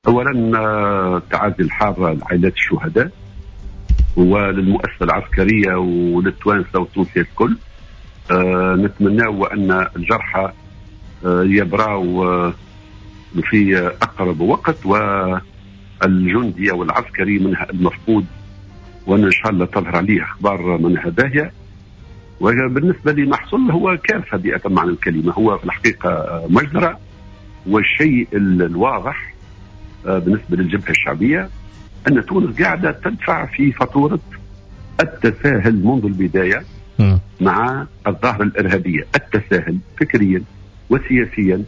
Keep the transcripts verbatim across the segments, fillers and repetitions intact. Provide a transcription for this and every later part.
اولا تعازي الحارة لعائلات الشهداء وللمؤسسه العسكرية وللتوانسه والتونسيه الكل. أه نتمناو ان الجرحى أه يبراو في اقرب وقت، والجندي والعسكري منها المفقود وان ان شاء الله تظهر عليه اخبار منها باهيه. وبالنسبة لما حصل هو كارثة بأتم معنى الكلمة، هو في الحقيقة مجزرة. والشيء الواضح بالنسبة للجبهه الشعبية ان تونس قاعدة تدفع في فاتورة التساهل منذ البداية م. مع الظاهرة الارهابية، التساهل فكريا وسياسيا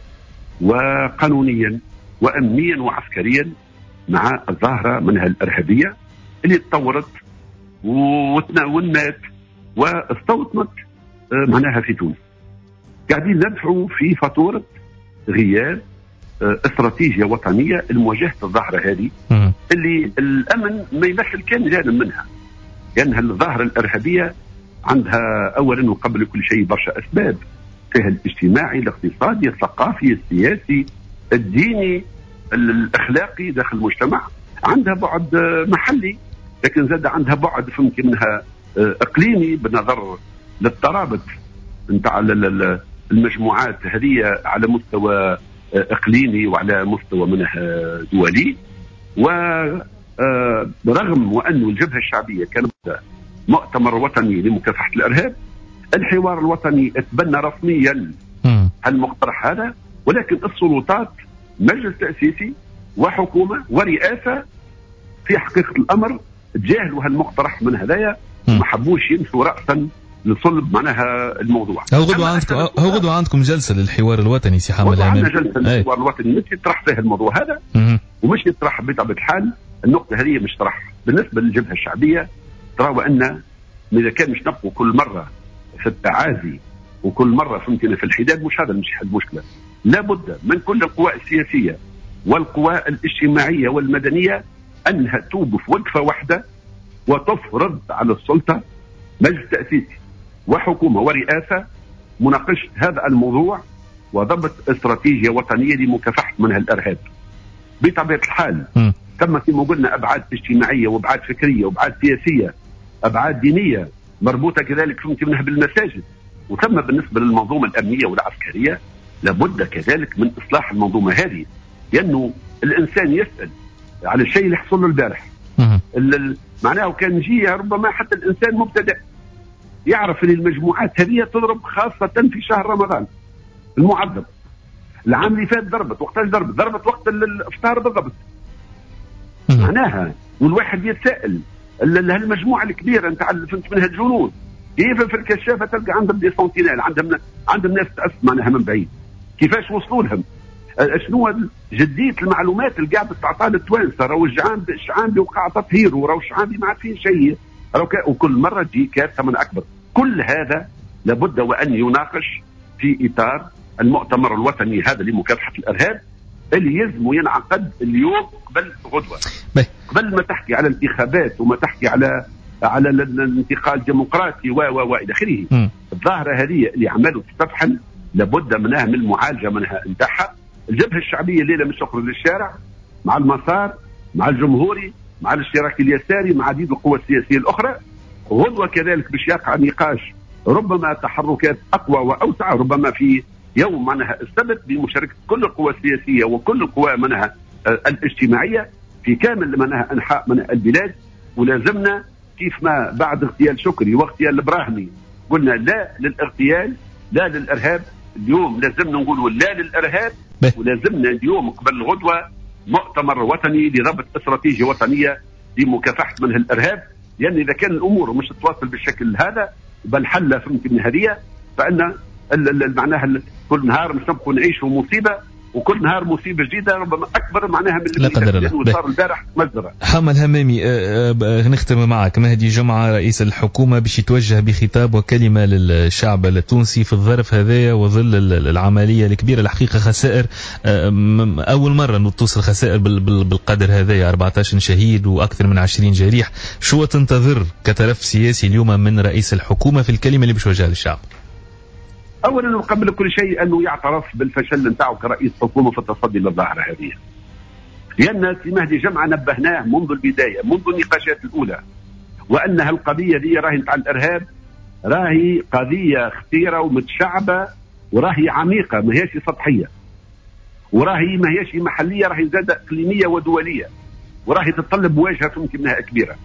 وقانونيا وامنيا وعسكريا مع الظاهرة منها الارهابية اللي تطورت ونمات واستوطنت معناها في تونس. قاعدين ندفعوا في فاتورة غياب استراتيجية وطنية لمواجهة الظاهرة هذه اللي الامن ما يمثل كان جانب منها، لان الظاهرة الارهابية عندها اولا وقبل كل شيء برشا اسباب، فيها الاجتماعي، الاقتصادي، الثقافي، السياسي، الديني، الاخلاقي داخل المجتمع، عندها بعد محلي لكن زاد عندها بعد فهمتي منها اقليمي بالنظر للترابط نتاع المجموعات هذه على مستوى اقليمي وعلى مستوى منها دولي. ورغم وأن الجبهة الشعبية كان مؤتمر وطني لمكافحة الارهاب، الحوار الوطني اتبنى رسميا المقترح هذا، ولكن السلطات مجلس تأسيسي وحكومة ورئاسه في حقيقة الامر تجاهلوا هالمقترح من هذايا، ما حبوش يمشوا راسا لصلب معناها الموضوع. هو غدوة عندكم هو غدوة عندكم جلسة للحوار الوطني سي حمد الهمامي. عندنا جلسة للحوار الوطني مش يطرح فيها الموضوع هذا، ومش يطرح بطبيعة الحال النقطة هذه مش طرح. بالنسبة للجبهة الشعبية تراو أن إذا كان مش نبقوا كل مرة في التعازي وكل مرة فهمتنا في الحداد، مش هذا مش حل المشكلة. لابد من كل القوى السياسية والقوى الاجتماعية والمدنية أنها توقف وقفة واحدة وتفرض على السلطة مجلس تأسيسي وحكومة ورئاسة مناقشة هذا الموضوع وضبط استراتيجية وطنية لمكافحة منها الإرهاب. بطبيعة الحال م. تم كما قلنا أبعاد اجتماعية وأبعاد فكرية وأبعاد سياسية، أبعاد دينية مربوطة كذلك فهمت منها بالمساجد. وثم بالنسبة للمنظومة الأمنية والعسكرية لابد كذلك من إصلاح المنظومة هذه، لأنه الإنسان يسأل على الشيء اللي حصل له البارح. معناه كان جي ربما حتى الإنسان مبتدئ يعرف ان المجموعات هذه تضرب خاصة في شهر رمضان المعذب. العام اللي فات ضربت، وقتاش ضربت؟ ضربت وقت الافطار بالضبط. معناها والواحد يتساءل هالمجموعة الكبيرة نتاع فهمت منها الجنود كيف في الكشافة تلقى عندهم des sentinelles، عندهم عندهم ناس تأس معناها من بعيد، كيفاش وصلوا لهم؟ شنو جدية المعلومات اللي قاعدة تعطى للتوانسة؟ راهو الشعانبي وقع تطهير، وراهو الشعانبي ما عاد فيه شيء، وكل مرة تجي كارثة من أكبر. كل هذا لابد وأن يناقش في إطار المؤتمر الوطني هذا لمكافحة الإرهاب اللي يلزم ينعقد اليوم قبل غدوة. قبل ما تحكي على الانتخابات وما تحكي على على الانتقال الديمقراطي و و والى اخره. الظاهرة هذه اللي عملوا تستفحل لابد منها من المعالجة منها نتاعها. الجبهة الشعبية الليلة مش تخرج للشارع مع المسار، مع الجمهوري، مع الاشتراكي اليساري، مع عديد القوى السياسية الأخرى. غدوة كذلك باش يقع نقاش، ربما تحركات أقوى وأوسع، ربما في يوم منها السبت بمشاركة كل القوى السياسية وكل القوى منها الاجتماعية في كامل منها أنحاء من البلاد. ولازمنا كيف ما بعد اغتيال شكري واغتيال الإبراهيمي قلنا لا للاغتيال، لا للإرهاب، اليوم لازمنا نقولوا لا للإرهاب. ولازمنا اليوم قبل الغدوة مؤتمر وطني لضبط استراتيجية وطنية لمكافحة منها الإرهاب، لأن إذا كان الأمور مش تتواصل بالشكل هذا بل حل فهمت من هذه، فإن معناها كل نهار مش نبقوا نعيشوا مصيبة، وكل نهار مصيبة جديدة ربما اكبر معناها من اللي لا قدر الله صار البارح مجزرة. حمد الهمامي، نختم معك. مهدي جمعه رئيس الحكومة باش يتوجه بخطاب وكلمه للشعب التونسي في الظرف هذايا وظل العملية الكبيرة، الحقيقة خسائر اول مرة توصل خسائر بالقدر هذايا، أربعة عشر شهيد واكثر من عشرين جريح. شو تنتظر كتلف سياسي اليوم من رئيس الحكومة في الكلمة اللي باش يوجهها للشعب؟ اولا وقبل كل شيء انه يعترف بالفشل نتاعو كرئيس حكومة في التصدي للظاهره هذه. لأن سي مهدي جمعة نبهناه منذ البداية، منذ النقاشات الأولى، وأنها القضية دي راهي نتاع الإرهاب راهي قضية خطيرة ومتشعبة وراهي عميقة، ما هيش سطحية، وراهي ما هيش محلية، راهي زادة إقليمية ودولية، وراهي تتطلب مواجهة فهمتي منها كبيرة.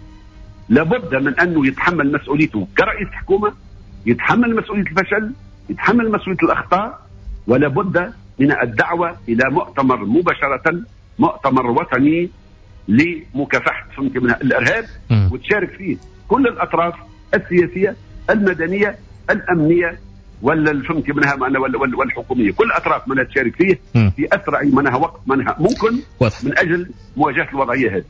لابد من أنه يتحمل مسؤوليته كرئيس حكومة، يتحمل مسؤولية الفشل، يتحمل مسؤولية الأخطاء، ولا بد من الدعوة إلى مؤتمر مباشرة، مؤتمر وطني لمكافحة فهمتي منها الإرهاب، وتشارك فيه كل الأطراف السياسية المدنية الأمنية ولا فهمتي منها والحكومية، كل الأطراف منها تشارك فيه في أسرع منها وقت منها ممكن، من أجل مواجهة الوضعية هذه.